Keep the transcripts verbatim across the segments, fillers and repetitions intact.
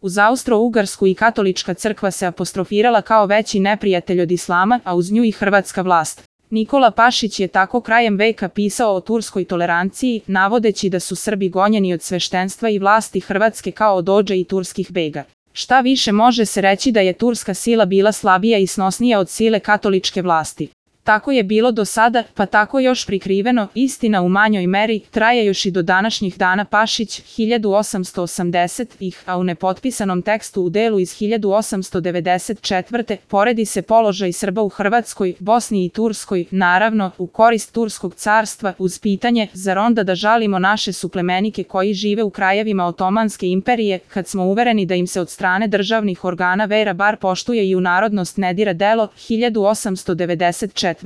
Uz Austro-Ugarsku i katolička crkva se apostrofirala kao veći neprijatelj od islama, a uz nju i hrvatska vlast. Nikola Pašić je tako krajem veka pisao o turskoj toleranciji, navodeći da su Srbi gonjeni od sveštenstva i vlasti Hrvatske kao od odža i turskih bega. Šta više može se reći da je turska sila bila slabija i snosnija od sile katoličke vlasti. Tako je bilo do sada, pa tako još prikriveno, istina u manjoj meri, traje još i do današnjih dana. Pašić, hiljadu osamsto osamdesetih, a u nepotpisanom tekstu u delu iz hiljadu osamsto devedeset četvrte. poredi se položaj Srba u Hrvatskoj, Bosni i Turskoj, naravno, u korist Turskog carstva, uz pitanje, zar onda da žalimo naše suplemenike koji žive u krajevima Otomanske imperije, kad smo uvereni da im se od strane državnih organa vera bar poštuje i u narodnost ne dira delo, hiljadu osamsto devedeset četvrte.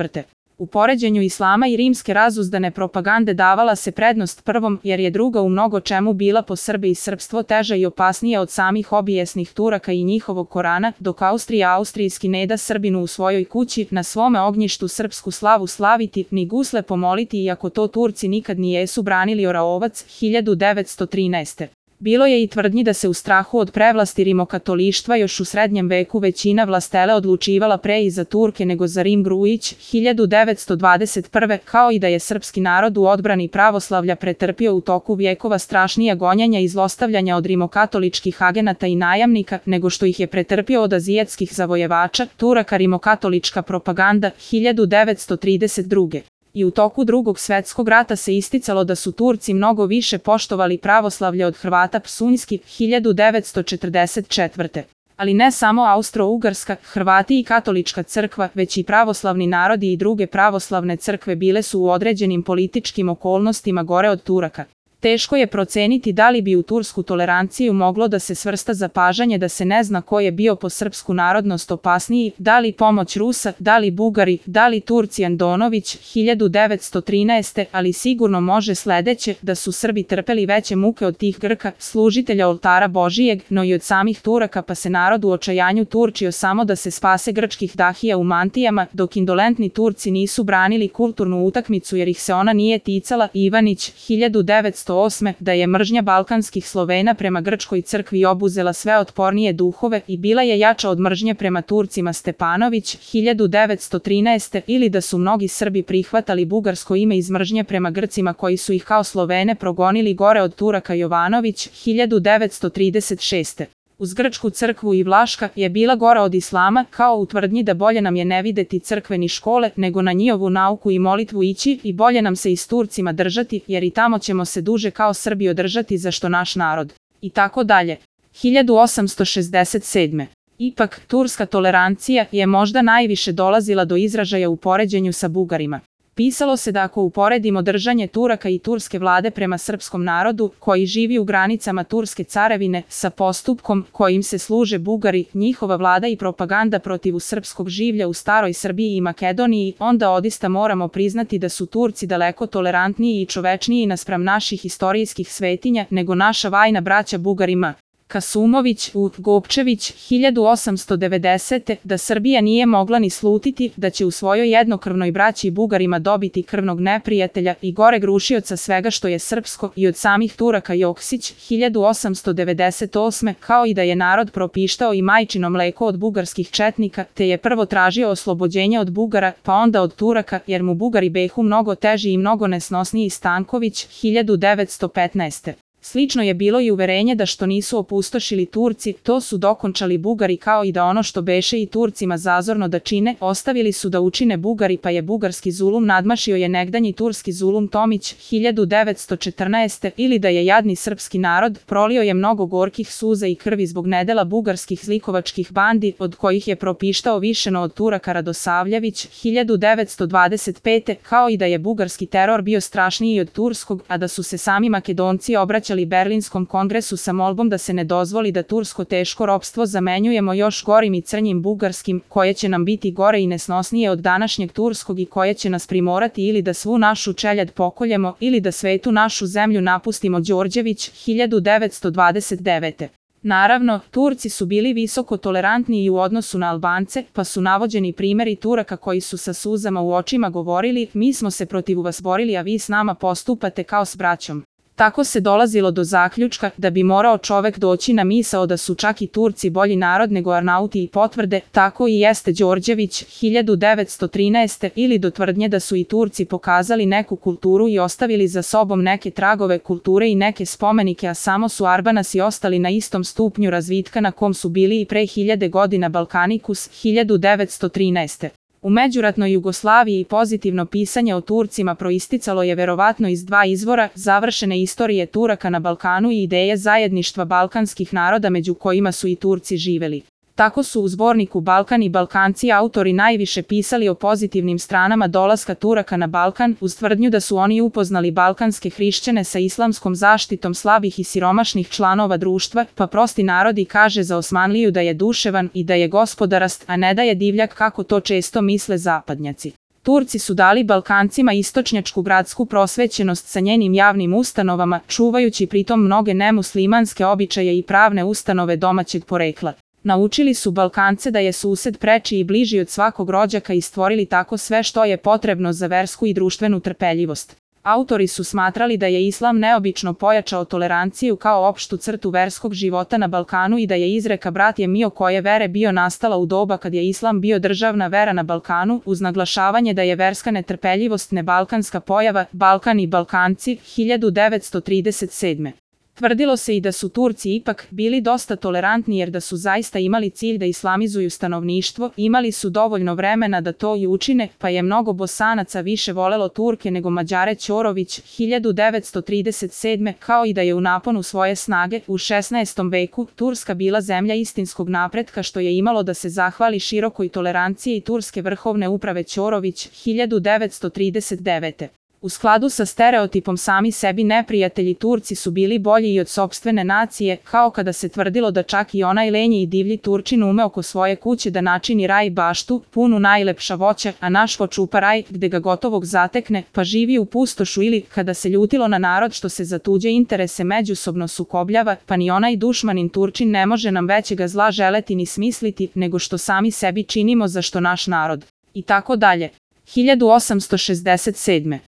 U poređenju islama i rimske razuzdane propagande davala se prednost prvom, jer je druga u mnogo čemu bila po Srbe i srpstvo teža i opasnija od samih obijesnih Turaka i njihovog Korana, dok Austrija austrijski ne da Srbinu u svojoj kući, na svome ognjištu srpsku slavu slaviti, ni gusle pomoliti, iako to Turci nikad nijesu branili. Oraovac, hiljadu devetsto trinaeste. Bilo je i tvrdnji da se u strahu od prevlasti rimokatolištva još u srednjem veku većina vlastele odlučivala pre i za Turke nego za Rim. Grujić, hiljadu devetsto dvadeset prve. Kao i da je srpski narod u odbrani pravoslavlja pretrpio u toku vjekova strašnija gonjenja i zlostavljanja od rimokatoličkih agenata i najamnika, nego što ih je pretrpio od azijatskih zavojevača, Turaka. Rimokatolička propaganda, hiljadu devetsto trideset druge. I u toku Drugog svjetskog rata se isticalo da su Turci mnogo više poštovali pravoslavlje od Hrvata. Psunjski, hiljadu devetsto četrdeset četvrte. Ali ne samo Austro-Ugarska, Hrvati i katolička crkva, već i pravoslavni narodi i druge pravoslavne crkve bile su u određenim političkim okolnostima gore od Turaka. Teško je proceniti da li bi u tursku toleranciju moglo da se svrsta zapažanje da se ne zna ko je bio po srpsku narodnost opasniji, da li pomoć Rusa, da li Bugari, da li Turci. Andonović, hiljadu devetsto trinaeste. Ali sigurno može sledeće, da su Srbi trpeli veće muke od tih Grka, služitelja oltara Božijeg, no i od samih Turaka, pa se narod u očajanju turčio samo da se spase grčkih dahija u mantijama, dok indolentni Turci nisu branili kulturnu utakmicu jer ih se ona nije ticala. Ivanić, hiljadu devetsto osme. Da je mržnja balkanskih Slovena prema grčkoj crkvi obuzela sve otpornije duhove i bila je jača od mržnje prema Turcima. Stepanović, hiljadu devetsto trinaeste. Ili da su mnogi Srbi prihvatali bugarsko ime iz mržnje prema Grcima koji su ih kao Slovene progonili gore od Turaka. Jovanović, hiljadu devetsto trideset šeste. Uz grčku crkvu i Vlaška je bila gora od islama, kao u tvrdnji da bolje nam je ne videti crkve ni škole, nego na njihovu nauku i molitvu ići, i bolje nam se i s Turcima držati, jer i tamo ćemo se duže kao Srbi održati za što naš narod. I tako dalje. hiljadu osamsto šezdeset sedme. Ipak, turska tolerancija je možda najviše dolazila do izražaja u poređenju sa Bugarima. Pisalo se da ako uporedimo držanje Turaka i turske vlade prema srpskom narodu, koji živi u granicama Turske carevine, sa postupkom kojim se služe Bugari, njihova vlada i propaganda protiv srpskog življa u staroj Srbiji i Makedoniji, onda odista moramo priznati da su Turci daleko tolerantniji i čovečniji naspram naših istorijskih svetinja nego naša vajna braća Bugarima. Kasumović, U. Gopčević, hiljadu osamsto devedesete. Da Srbija nije mogla ni slutiti da će u svojoj jednokrvnoj braći Bugarima dobiti krvnog neprijatelja i goreg rušioca svega što je srpsko, i od samih Turaka. Joksić, hiljadu osamsto devedeset osme. Kao i da je narod propištao i majčino mleko od bugarskih četnika, te je prvo tražio oslobođenje od Bugara, pa onda od Turaka, jer mu Bugari behu mnogo teži i mnogo nesnosniji. Stanković, hiljadu devetsto petnaeste. Slično je bilo i uverenje da što nisu opustošili Turci, to su dokončali Bugari, kao i da ono što beše i Turcima zazorno da čine, ostavili su da učine Bugari, pa je bugarski zulum nadmašio je negdanji turski zulum. Tomić, hiljadu devetsto četrnaeste. Ili da je jadni srpski narod prolio je mnogo gorkih suza i krvi zbog nedela bugarskih zlikovačkih bandi, od kojih je propištao višeno od Turaka. Radosavljević, hiljadu devetsto dvadeset pete. Kao i da je bugarski teror bio strašniji od turskog, a da su se sami Makedonci obraćali Berlinskom kongresu sa molbom da se ne dozvoli da tursko teško ropstvo zamenjujemo još gorim i crnjim bugarskim, koje će nam biti gore i nesnosnije od današnjeg turskog i koje će nas primorati ili da svu našu čeljad pokoljemo ili da svetu našu zemlju napustimo. Đorđević, hiljadu devetsto dvadeset devete. Naravno, Turci su bili visoko tolerantni i u odnosu na Albance, pa su navođeni primjeri Turaka koji su sa suzama u očima govorili: mi smo se protiv vas borili, a vi s nama postupate kao s braćom. Tako se dolazilo do zaključka da bi morao čovek doći na misao da su čak i Turci bolji narod nego Arnauti i potvrde, tako i jeste Đorđević hiljadu devetsto trinaeste. ili do tvrdnje da su i Turci pokazali neku kulturu i ostavili za sobom neke tragove kulture i neke spomenike, a samo su Arbanasi ostali na istom stupnju razvitka na kom su bili i pre hiljade godina. Balkanikus hiljadu devetsto trinaeste. U međuratnoj Jugoslaviji pozitivno pisanje o Turcima proisticalo je verovatno iz dva izvora: završene istorije Turaka na Balkanu i ideje zajedništva balkanskih naroda među kojima su i Turci živeli. Tako su u zborniku Balkan i Balkanci autori najviše pisali o pozitivnim stranama dolaska Turaka na Balkan, uz tvrdnju da su oni upoznali balkanske hrišćane sa islamskom zaštitom slabih i siromašnih članova društva, pa prosti narodi kaže za Osmanliju da je duševan i da je gospodarast, a ne da je divljak kako to često misle zapadnjaci. Turci su dali Balkancima istočnjačku gradsku prosvećenost sa njenim javnim ustanovama, čuvajući pritom mnoge nemuslimanske običaje i pravne ustanove domaćeg porekla. Naučili su Balkance da je sused preči i bliži od svakog rođaka i stvorili tako sve što je potrebno za versku i društvenu trpeljivost. Autori su smatrali da je islam neobično pojačao toleranciju kao opštu crtu verskog života na Balkanu i da je izreka brat je mio koje vere bio nastala u doba kad je islam bio državna vera na Balkanu, uz naglašavanje da je verska netrpeljivost nebalkanska pojava. Balkan i Balkanci hiljadu devetsto trideset sedme. Tvrdilo se i da su Turci ipak bili dosta tolerantni jer da su zaista imali cilj da islamizuju stanovništvo, imali su dovoljno vremena da to i učine, pa je mnogo Bosanaca više volelo Turke nego Mađare. Ćorović hiljadu devetsto trideset sedme. Kao i da je u naponu svoje snage u šesnaestom veku Turska bila zemlja istinskog napretka, što je imalo da se zahvali širokoj toleranciji turske vrhovne uprave. Ćorović hiljadu devetsto trideset devete. U skladu sa stereotipom sami sebi neprijatelji Turci su bili bolji i od sopstvene nacije, kao kada se tvrdilo da čak i onaj lenji i divlji Turčin ume oko svoje kuće da načini raj baštu, punu najlepša voća, a naš vo čupa raj, gde ga gotovog zatekne, pa živi u pustošu, ili kada se ljutilo na narod što se za tuđe interese međusobno sukobljava, pa ni onaj dušmanin Turčin ne može nam većega zla želeti ni smisliti, nego što sami sebi činimo za što naš narod. I tako dalje. hiljadu osamsto šezdeset sedme.